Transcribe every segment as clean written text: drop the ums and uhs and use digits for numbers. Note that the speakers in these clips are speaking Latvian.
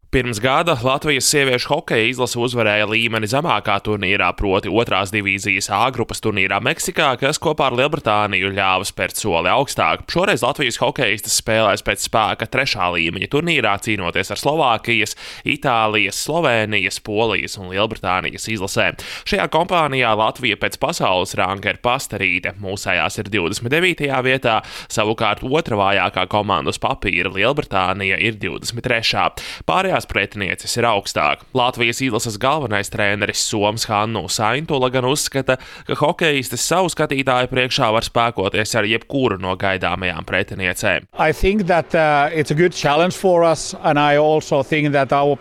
Pirms gada Latvijas sieviešu hokeja izlase uzvarēja līmeni zemākā turnīrā, proti otrās divīzijas A grupas turnīrā Meksikā, kas kopā ar Lielbritāniju ļāva spērt soli augstāk. Šoreiz Latvijas hokejistes spēlēs pēc spēka trešā līmeņa turnīrā, cīnoties ar Slovākijas, Itālijas, Slovēnijas, Polijas un Lielbritānijas izlasēm. Šajā kompānijā Latvija pēc pasaules ranga ir pastarīte, mūsējās ir 29. vietā, savukārt otra vājākā komanda uz papīra Lielbritānija ir 23. Pārējās pretinieces ir augstāk. Latvijas izlases galvenais treneris Soms Hannu Saintula gan uzskata, ka hokejistes savu skatītāju priekšā var spēkoties ar jebkuru no gaidāmajām pretiniecēm.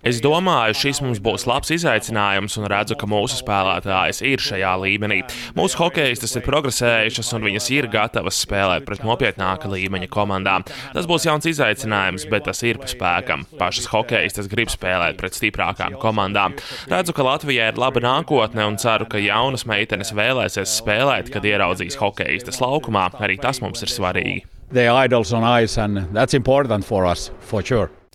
Es domāju, šis mums būs labs izaicinājums un redzu, ka mūsu spēlētājas ir šajā līmenī. Mūsu hokejistes ir progresējušas un viņas ir gatavas spēlēt pret nopietnāka līmeņa komandām. Tas būs jauns izaicinājums, bet tas ir pa spēkam. Pašas hokejistes grib spēlēt pret stiprākām komandām. Redzu, ka Latvijai ir laba nākotne un ceru, ka jaunas meitenes vēlēsies spēlēt, kad ieraudzīs hokejistes laukumā. Arī tas mums ir svarīgi.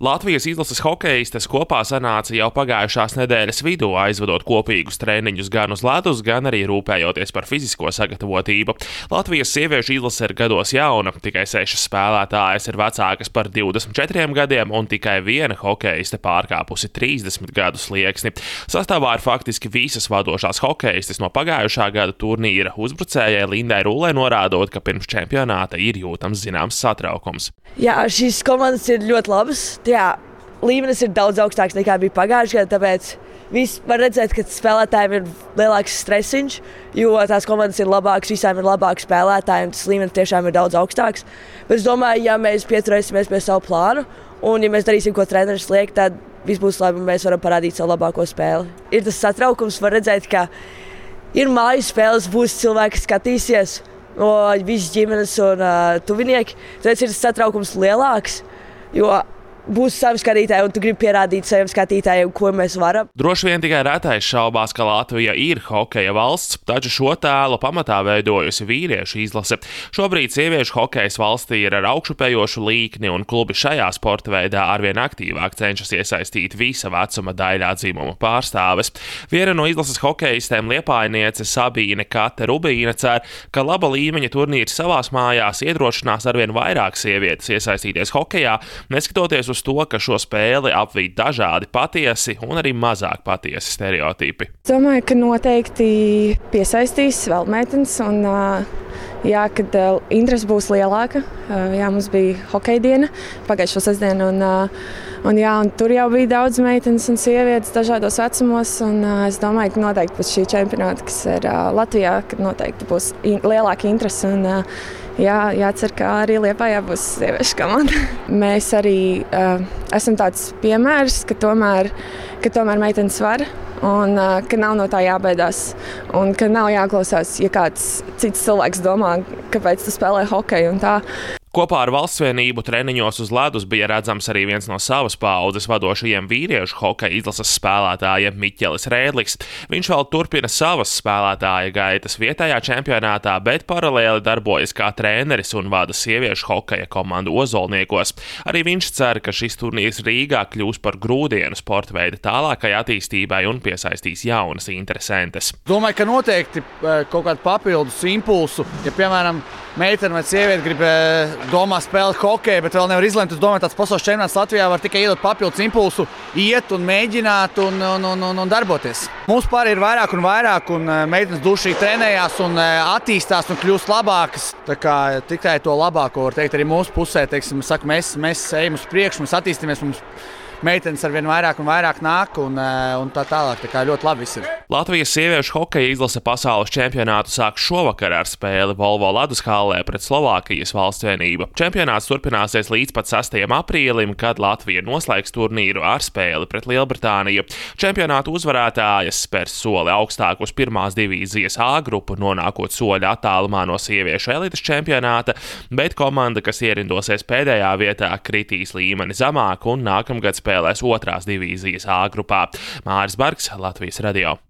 Latvijas izlases hokejistes kopā sanāca jau pagājušās nedēļas vidū, aizvedot kopīgus treniņus gan uz ledus, gan arī rūpējoties par fizisko sagatavotību. Latvijas sieviešu izlase ir gados jauna, tikai 6 spēlētājas ir vecākas par 24 gadiem un tikai viena hokejiste pārkāpusi 30 gadu slieksni. Sastāvā ir faktiski visas vadošās hokejistes no pagājušā gada turnīra. Uzbrucējai Lindai Rūlei norādot, ka pirms čempionāta ir jūtams zināms satraukums. Jā, šīs komandas ir ļoti labas. Jā, līmenis ir daudz augstāks nekā bija pagājušajā gadā, tāpēc viss var redzēt, ka spēlētājiem ir lielāks stresiņš, jo tās komandas ir labākas, visām ir labāki spēlētāji, un tas līmenis tiešām ir daudz augstāks. Bet es domāju, ja mēs pieturēsimies pie savu plānu, un ja mēs darīsim, ko treneris liek, tad viss būs labi, un mēs varam parādīt savu labāko spēli. Ir tas satraukums, var redzēt, ka ir mājas spēles, būs cilvēki, kas skatīsies, no visas ģimenes un tuvinieki, tāpēc ir tas satraukums lielāks, jo būs savi skatītāji, un tu gribi pierādīt saviem skatītājiem, ko mēs varam. Droši vien tikai retais šaubās, ka Latvija ir hokeja valsts, taču šo tēlu pamatā veidojusi vīriešu izlase. Šobrīd sieviešu hokejs valstī ir ar augšupējošu līkni, un klubi šajā sporta veidā arvien aktīvāk cenšas iesaistīt visa vecuma daļā dzimumu pārstāves. Viena no izlases hokejistēm Liepājniece Sabīne Kate Rubīne cer, ka laba līmeņa turnīrs savās mājās iedrošinās arvien vairāk sievietes iesaistīties hokejā, neskatoties uz to, ka šo spēli apvīd dažādi patiesi un arī mazāk patiesi stereotipi. Domāju, ka noteikti piesaistīs vēl meitenes un kad interese būs lielāka. Mums bija hokeja diena pagājušo sestdienu un tur jau bija daudz meitenes un sievietes dažādos vecumos. Es domāju, ka noteikti pēc šī čempionāta, kas ir Latvijā, ka noteikti būs lielāka interese un jācer, ka arī Liepājā būs sieviešu komanda. Mēs arī esam tāds piemērs, ka tomēr meitenes var un ka nav no tā jābaidās un ka nav jāklausās, ja kāds cits cilvēks domā, kāpēc tu spēlē hokeju un tā. Kopā ar Valsts vienību treniņos uz ledus bija redzams arī viens no savas paaudzes vadošajiem vīriešu hokeja izlases spēlētājiem Miķelis Rēdlis. Viņš vēl turpina savas spēlētāja gaitas vietējā čempionātā, bet paralēli darbojas kā treneris un vada sieviešu hokeja komandu Ozolniekos. Arī viņš cer, ka šis turnīrs Rīgā kļūs par grūdienu sporta veida tālākai attīstībai un piesaistīs jaunas interesantes. Domāju, ka noteikti kaut kādu papildus impulsu, ja piemēram meitene vai sieviete grib domā spēlēt hokeju, bet vēl nevar izlemt. Es domāju, tāds pasaules čempionāts Latvijā var tikai iedot papildus impulsu, iet un mēģināt un darboties. Mums pāri ir vairāk un meitenes dušīgi trenējās un attīstās un kļūst labākas. Tā kā tikai to labāko var teikt arī mūsu pusē. Teiksim, mēs ejam uz priekšu, mēs attīstamies, mums meitenes arvien vairāk un vairāk nāk un tā tālāk. Tā kā ļoti labi viss ir. Latvijas sieviešu hokeja izlase pasaules čempionātu sāk šovakar ar spēli Volvo ledus hallē pret Slovākijas Valsts vienību. Čempionāts turpināsies līdz pat 6. aprīlim, kad Latvija noslēgs turnīru ar spēli pret Lielbritāniju. Čempionātu uzvarētājas spērs soli augstāk uz pirmās divīzijas A grupu, nonākot soļa attālumā no sieviešu elites čempionāta, bet komanda, kas ierindosies pēdējā vietā, kritīs līmeni zemāk un nākamgad spēlēs otrās divīzijas A grupā. Māris Bargs, Latvijas radio.